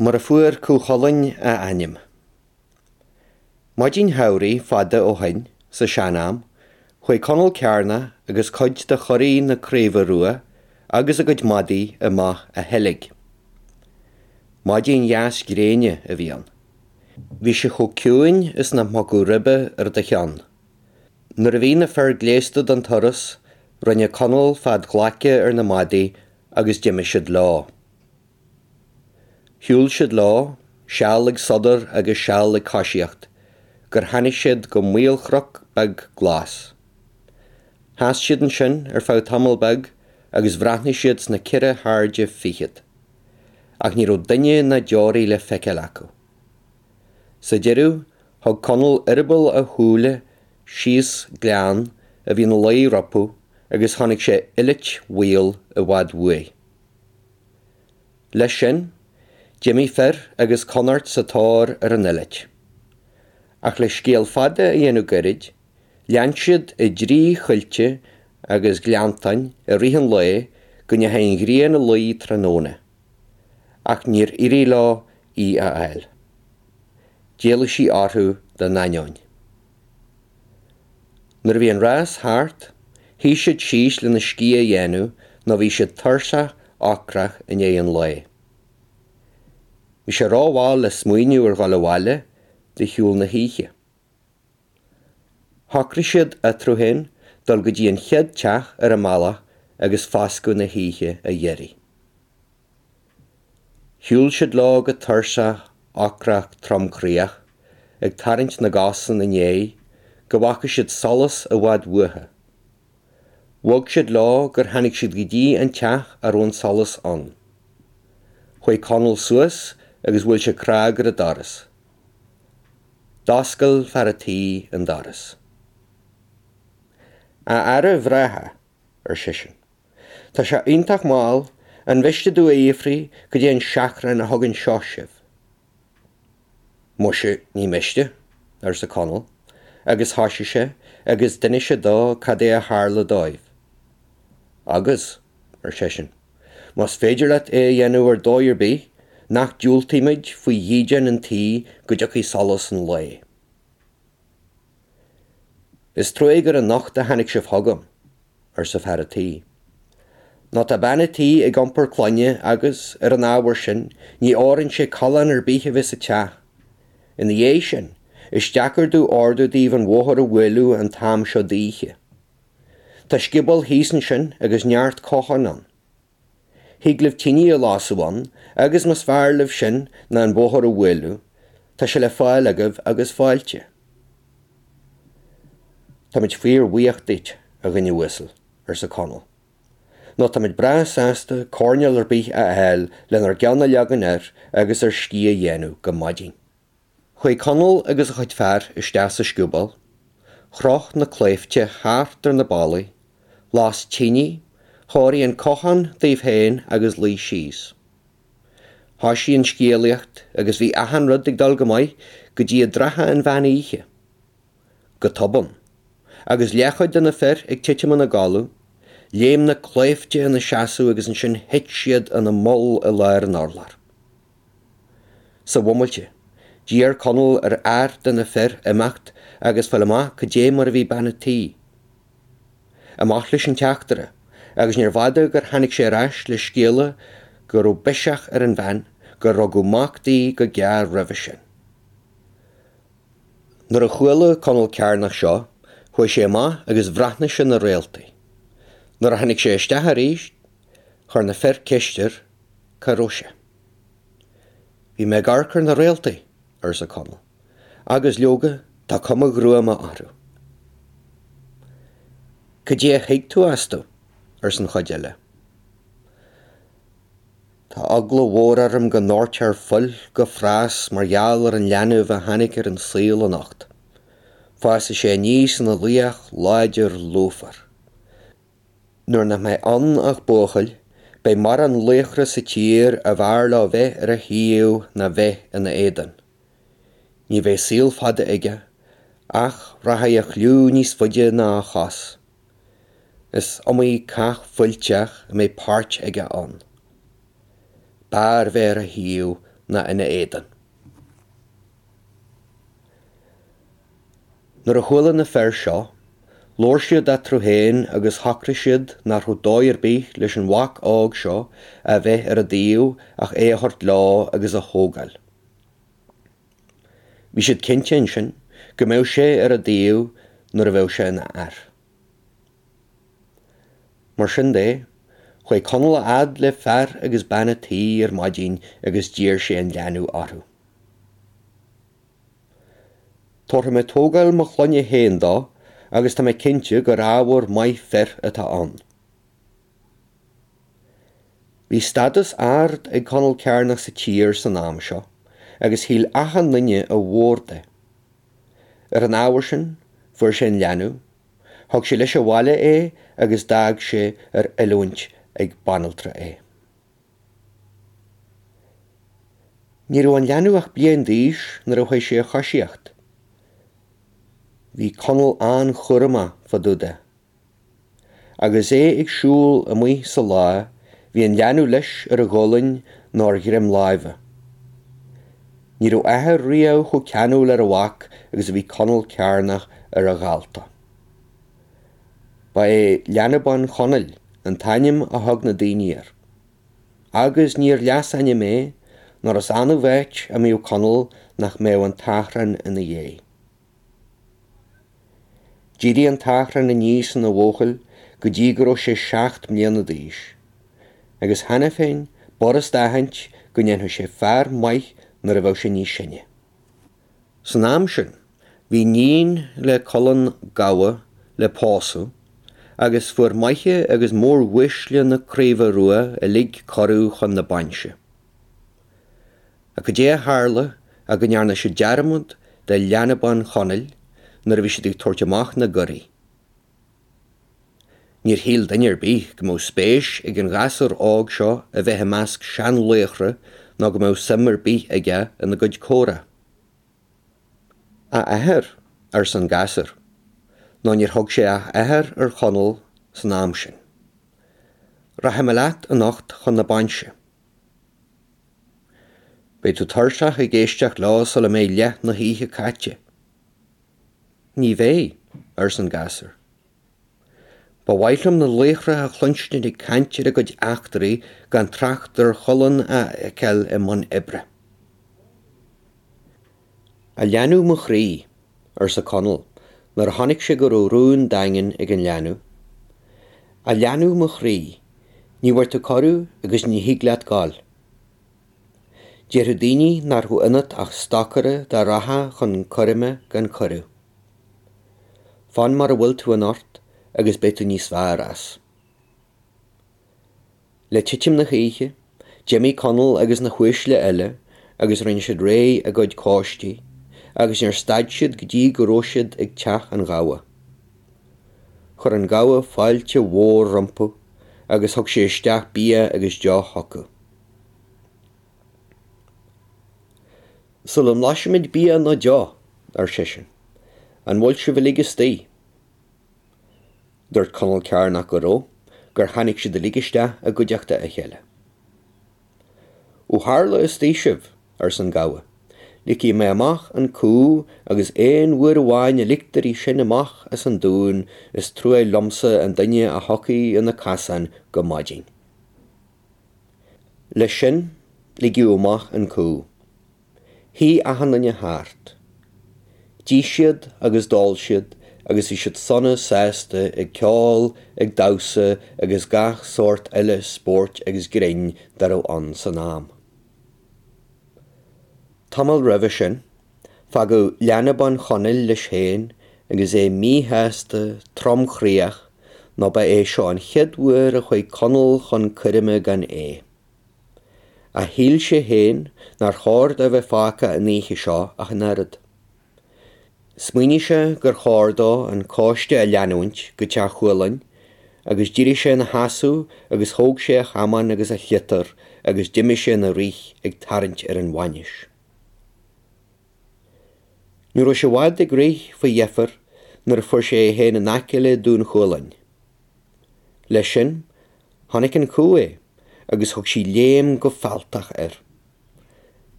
Mar a fuair Cú Chulainn a ainm. Maidin shamhraidh fada ó shoin, sa sean-am, chuaigh Conall Cearnach agus cuid de churaidh na Craoibhe Rua agus a gcuid madaí amach a sheilg. Maidin dheas gréine a bhí ann. Bhí sé chomh ciúin is nach mbogfadh ribe ar do cheann. Nuair a bhí na fir gléasta don turas, rinne Conall fead ghlaice ar na madaí agus d'imigh siad leo. Shiúil siad leo, seal ag sodar agus seal ag coisíocht, gur tháinig siad go maolchnoc beag glas. Sheas siad ansin ar feadh tamall beag agus bhreathnaigh siad sna ceithre hairde fichead. Ach ní raibh duine ná deoraí le feiceáil acu. Sa deireadh, thug Conall eireaball a shúile síos gleann a bhí ina luí rompu agus chonaic sé eilit mhaol i bhfad uaidh. Leis sin, d'imigh fir agus conairt sa tóir ar an eilit. Ach le scéal fada a dhéanamh gairid, lean siad i dtrí choillte agus gleanntáin i rith an lae go ndeachaigh an ghrian a luí tráthnóna, ach níor éirigh leo í a fháil. D'éalaigh sí orthu dá n-ainneoin. Nuair a bhí an rás thart, shuigh siad síos lena scíth a dhéanamh nó bhí siad tuirseach ocrach i ndiaidh an lae. Bhí sé rómhall le smaoineamh ar dhul abhaile de shiúl na hoíche. Shocraigh siad eatarthu féin dul go dtí an chéad teach ar a mbealach agus foscadh na hoíche a iarraidh. Shiúil siad leo go tuirseach, ocrach, tromchroíoch, ag tarraingt na gcos ina ndiaidh, go bhfaca siad solas i bhfad uathu. Bhog siad leo gur tháinig siad go dtí an teach a raibh an solas ann. Chuaigh Conall suas agus bhuail sé cnag ar an doras. D'oscail fear a' tí an doras. A fhearaibh bhreátha, ar seisean, tá sé iontach mall, an mhiste domh a fhiafraí goidé an seachrán a thug anseo sibh? Muise, ní miste, arsa Conall, agus thoisigh sé agus d'inis sé dó cad é a tharla dóibh. Agus, ar seisean, Más féidir leat é a dhéanamh ar dóigh ar bith, nach diúltaímid faoi dhídean an tí go dtiocfaidh solas an lae. Is trua gur anocht a tháinig sibh chugam, arsa fear a' tí. Nó tá bean a' tí ag iompar clainne agus, ar an ábhar sin, ní fhóireann sé callán ar bith a bheith sa teach. Ina dhiaidh sin, is deacair domh ordú daoibh an bhóthar a bhualadh an t-am seo d'oíche. Tá scioból thíos ansin agus neart cochán ann. Thig libh tine a lasadh ann agus más fearr libh sin ná an bóthar a bhualadh, tá sé le fáil agaibh agus fáilte. Táimid fíor-bhuíoch duit, a dhuine uasail, arsa Conall. Nó táimid breá sásta coirnéal ar bith a fháil lenár gceann a leagan air agus ár scíth a dhéanamh go maidin. Chuaigh Conall agus a chuid fear isteach sa scioból, chroch na claimhte thart ar na ballaí, las tine, chóirigh an cochán dóibh féin agus luigh síos. Thoisigh an scéalaíocht agus bhí achan rud ag dul go maith go dtí i dtrátha an mheán oíche. Go tobann, agus leathchuid de na fir ag titim ina gcodladh, léim na claimhte ina seasamh agus ansin thit siad ina moll i lár an urláir. Sa bhomaite, d'iarr Conall ar fhear de na fir imeacht agus fáil amach cad é mar a bhí bean a' tí. Amach leis an teachtaire, agus níorbh fhada gur tháinig sé ar ais le scéala go raibh biseach ar an bhean, gur rugadh mac di go gearr roimhe sin. Nuair a chuala Conall Cearnach seo, chuaigh sé amach agus bhreathnaigh sé na réaltaí. Nuair a tháinig sé isteach arís, chuir na fir ceist air cá raibh sé. Bhí mé ag amharc ar na réaltaí, arsa Conall, agus, leoga, tá cuma ghruama orthu. Cad é a thuig tú astu? arsa an chuid eile. Tá eagla mhór orm go ndoirtfear fuil go fras mar gheall ar an leanbh a tháinig ar an saol anocht. Fásfaidh sé aníos ina laoch láidir lúfar. Nuair nach mbeidh ann ach buachaill, beidh morán laochra sa tír ab fhearr leo bheith ar a thaobh ná bheith ina éadan. Ní bheidh saol fada aige, ach rachaidh a chliú níos faide ná a chos. Is iomaí cath fuilteach a mbeidh páirt aige ann. B'fhearr bheith ar a thaobh ná ina éadan. Nuair a chuala na fir seo, labhair siad eatarthu féin agus shocraigh siad nach raibh dóigh ar bith leis an mhac óg seo a bheith ar a dtaobh ach é a thabhairt leo agus a thógáil. Bhí siad cinnte ansin go mbeadh sé ar a dtaobh nuair a bheadh sé ina fhear. Mar sin de, chuaigh Conall a fhad le fear agus bean a' tí ar maidin agus d'iarr sé an leanbh orthu. Tabharfaidh mé tógáil mo chlainne féin dó agus tá mé cinnte gur ábhar maith fir atá ann. Bhí stádas ard ag Conall Cearnach sa tír san am seo agus shíl achan nduine a mhór de. Ar an ábhar sin, fuair sé an leanbh, thug sé leis abhaile é agus d'fhág sé ar oiliúint ag banaltra é. Ní raibh an leanbh ach bliain d'aois nuair a chuaigh sé a choisíocht. Bhí Conall an-chúramach fá dtaobh de. Agus é ag siúl amuigh sa lá, bhí an leanbh leis ar a ghualainn nó ar dhroim láimhe. Ní raibh athair riamh chomh ceanúil ar a mhac agus a bhí Conall Cearnach ar a dhalta. Ba é Leanbán Chonaill an t-ainm a thug na daoine air. Agus níor leasainm é, nó is annamh áit a mbíodh Conall nach mbeadh an tAchrán ina dhiaidh. D'éirigh an tAchrán aníos ina bhuachaill go dtí go raibh sé 7 mbliana d'aois, agus cheana féin b'fhurasta a aithint go ndéanfadh sé fear maith nuair a bheadh sé níos sine. San am sin, bhí níon le Culann gabha le pósadh agus fuair maithe agus móruaisle na Craoibhe Rua uilig cuireadh chun na bainse. Ach cad é a tharla ach go ndearna siad dearmad de Leanbán Chonaill nuair a bhí siad ag tabhairt amach na gcuirí. Níor shíl duine ar bith go mbeadh spéis ag an ghasúr óg seo a bheith i measc seanlaochra ná go mbeadh suim ar bith aige ina gcuid comhrá. A athair, arsa an gasúr, nó níor thug sé ach athair ar Chonall san am sin. Rachaidh mé leat anocht chun na bainse. Beidh tú tuirseach ag éisteacht leo sula mbeidh leath na hoíche caite. Ní bheidh, arsa an gasúr. Ba mhaith liom na laochra a chluinstin ag caint ar a gcuid eachtraí gan trácht ar Chulann a fheiceáil i mbun oibre. A leanbh mo chroí, arsa Conall nuair a chonaic sé go raibh rún daingean ag an leanbh. A leanbh mo chroí, ní bhfuair tú cuireadh agus ní thig leat gabháil. Déarfadh daoine nach raibh ionat ach stocaire dá rachfá chun coirme gan cuireadh. Fan mar a bhfuil tú anocht agus beidh tú níos fearr as. Le titim na hoíche, d'imigh Conall agus na huaisle eile agus rinne siad réidh a gcuid cóistí agus níor stad siad go dtí go raibh siad ag teach an ghabha. Chuir an gabha fáilte mhór rompu agus thug sé isteach bia agus deoch chucu. Sula mblaisfimid bia nó deoch, ar seisean, an bhfuil sibh uilig istigh? Dúirt Conall Cearnach go raibh, gur tháinig siad uilig isteach i gcuideachta a chéile. Ó tharla istigh sibh, arsa an gabha, ligfidh mé amach an cú agus aon uair amháin a ligtear í sin amach as an dún is trua liomsa an duine a thiocfaidh ina casán go maidin. Leis sin, ligeadh amach an cú. Shuigh achan duine thart. D'ith siad agus d'ól siad agus bhí siad sona sásta ag ceol, ag damhsa agus gach sórt eile spóirt agus grinn dá raibh ann san am. Tamall roimhe sin, fágadh Leanbán Chonaill leis féin agus é míshásta, tromchroíoch, nó ba é seo an chéad uair a chuaigh Conall chun coirme gan é. Ach shíl sé féin nár chóir dó a bheith fágtha an oíche seo ach an oiread. Smaoinigh sé gur chóir dó an cóiste a leanúint go teach Chualann agus d'éirigh sé ina sheasamh agus thóg sé a chamán agus a shliotar agus d'imigh sé ina rith ag tarraingt ar an bhainis. Ní raibh sé i bhfad ag rith faoi dheifir nuair a fuair sé é féin in aice le Dún Chualann. Leis sin, chonaic an cú é agus thug sí léim go fealltach air.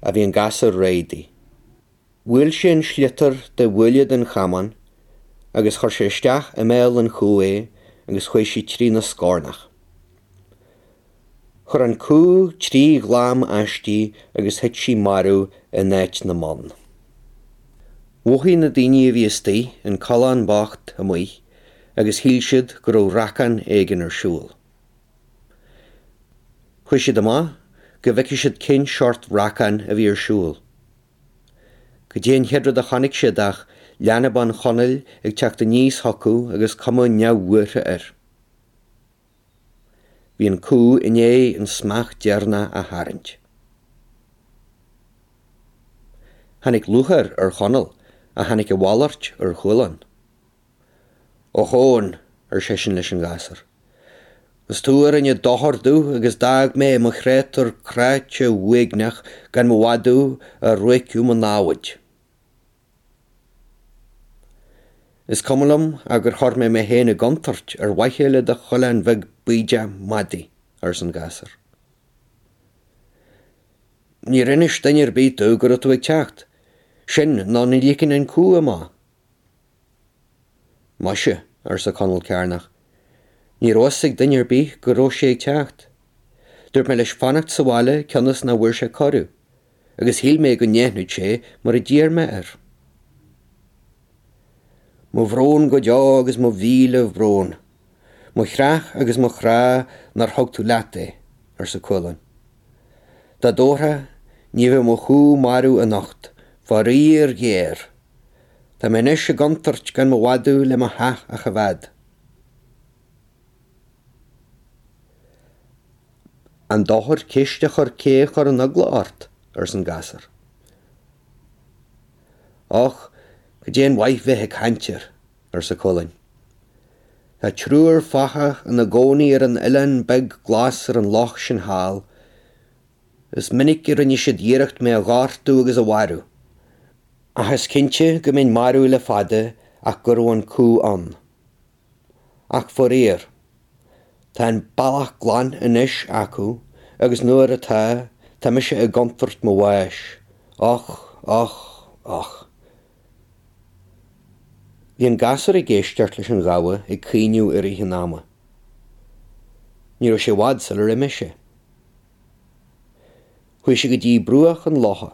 Ach bhí an gasúr réidh di. Bhuail sé an sliotar de bhuille den chamán agus chuir sé isteach i mbéal an chú é agus chuaigh sí trína scornach. Chuir an cú trí ghlam aisti agus thit sí marbh in áit na mbonn. Mhothaigh na daoine a bhí istigh an coileán bocht amuigh agus shíl siad go raibh racán éigin ar siúl. Chuaigh siad amach go bhfeicfeadh siad cén seort racáin a bhí ar siúl. Cad é an chéad rud a chonaic siad ach leanbán Chonaill ag teacht aníos chucu agus cuma neamhbhuartha air. Bhí an cú i ndiaidh an smeach deireanach a tharraingt. Tháinig lúcháir ar Chonall ach tháinig a mhalairt ar Chualann. Och Eoin, ar seisean leis an ghasúr, is tú a rinne dochar domh agus d'fhág mé i mo chréatúr cráite uaigneach gan mo mhadadh a ruaigeadh mo námhaid. Is cuma liom ach gur chuir mé mé féin i gcontúirt ar mhaithe le do choileán bheag bídeach madaidh, arsa an gasúr. Níor inis duine ar bith domh go raibh tú ag teacht, sin nó ní ligfinn an cú amach. Muise, arsa Conall Cearnach, ní raibh fhios ag duine ar bith go raibh sé ag teacht. Dúirt mé leis fanacht sa bhaile cionn is nach bhfuair sé cuireadh, agus shíl mé go ndéanfadh sé mar a d'iarr mé air. Mo bhrón go deo agus mo mhíle bhrón. Mo chreach agus mo chrá nár thug tú leat é, arsa Cualann. Dá dtabharfá, ní bheadh mo chú marbh anocht, faraor géar. Tá mé anois i gcontúirt gan mo mhadadh le mo theach a choimheád. An dochar ceist a chur cé a chuir an eagla ort? arsa an gasúr. Och, cad é an mhaith bheith ag caint air, arsa Cualann. Tá triúr fathach ina gcónaí ar an oileán beag glas ar an loch sin thall, Is minic a rinne siad iarracht mé a ghortú agus a mharú. Ach is cinnte go mbeinn marbh le fada ach go raibh an cú ann. Ach faraor, tá an bealach glan anois acu agus nuair atá, tá mise i gcontúirt mo bháis. Och, och, och. Bhí an gasúr ag éisteacht leis an ghabha ag caoineadh i rith an ama. Ní raibh sé i bhfad sular imigh sé. Chuaigh sé go dtí bruach an locha.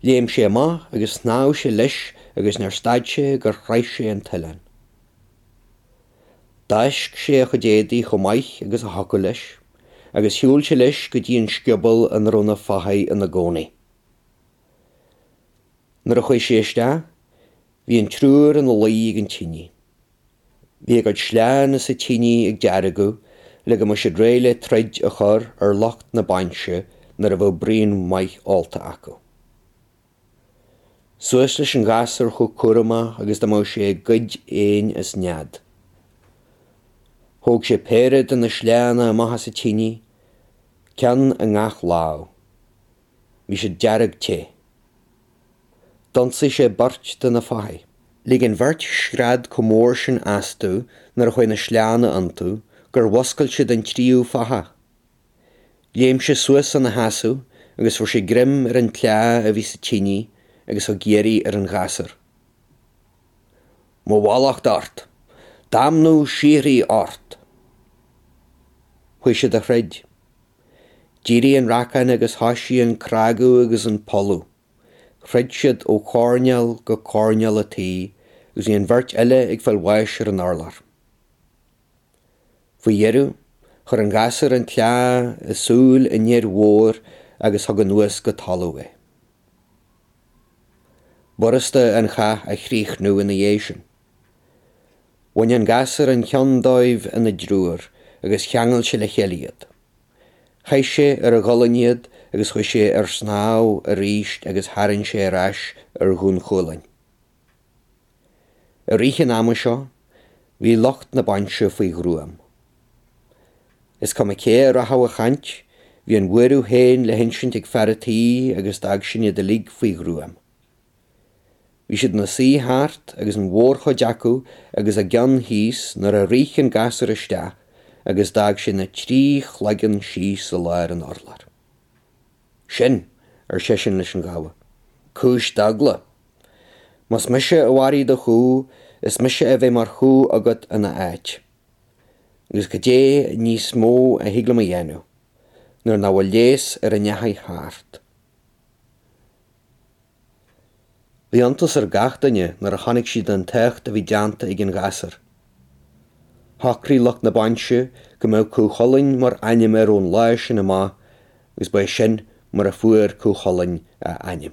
Léim sé amach agus shnámh sé leis agus níor stad sé gur shroich sé an t-oileán. D'fháisc sé a chuid éadaí chomh maith agus a thiocfadh leis agus shiúil sé leis go dtí an scioból ina raibh na fathaigh ina gcónaí. Nuair a chuaigh sé isteach, bhí an triúr ina luí ag an tine. Bhí a gcuid sleánna sa tine ag deargadh le go mbeadh siad réidh le troid a chur ar lucht na bainse nuair a bheadh braon maith ólta acu. Suas leis an ghasúr chomh cúramach agus dá mbeadh sé ag goid éin as nead. Thóg sé péire de na sleánna amach as an tine, ceann i ngach lámh. Bhí siad dearg te. D'ionsaigh sé beirt de na fathaigh. Lig an bheirt scread chomh mór sin astu nuair a chuaigh na sleánna iontu gur mhuscail siad an tríú fathach. Léim sé suas ina sheasamh agus fuair sé greim ar an tsleá a bhí sa tine agus thug iarraidh ar an ghasúr. Mo mhallacht ort! Damnú síoraí ort! Chuaigh siad a throid. D'éirigh an racán agus thoisigh an cnagadh agus an polladh. Throid siad ó choirnéal go coirnéal an tí agus bhí an bheirt eile ag fáil bháis ar an urlár. Faoi dheireadh, chuir an gasúr an tsleá i súil an fhir mhóir agus thug anuas go talamh é. B'fhurasta an chath a chríochnú ina dhiaidh sin. Bhain an gasúr an cheann dóibh ina dtriúr agus cheangail sé le chéile iad. Chaith sé ar a ghualainn iad agus chuaigh sé ar snámh arís agus tharraing sé ar ais ar Dhún Chualáin. I rith an ama seo, bhí lucht na bainse faoi ghruaim. Is cuma cé a rachadh a chaint, bhí an bhuaireamh féin le hinsint ag fear a' tí agus d'fhág sin iad uilig faoi ghruaim. Bhí siad ina suí thart agus an mhórchuid acu agus a gceann thíos nuair a rith an gasúr isteach agus d'fhág sé na trí chloigeann síos i lár an urláir. Sin! Ar seisean leis an ghabha. Cúis d'eagla! Más mise a mharaigh do chú, is mise a bheidh mar chú agat ina áit. Agus cad é níos mó a thig liom a dhéanamh, nuair nach bhfuil leigheas ar a ndeachaigh thart? Bhí iontas ar gach duine nuair a chonaic siad an t-éacht a bhí déanta ag an ghasúr. Shocraigh lucht na bainse go mbeadh Cú Chulainn mar ainm air ón lá sin amach agus ba é sin mar a fuair Cú Chulainn a ainm.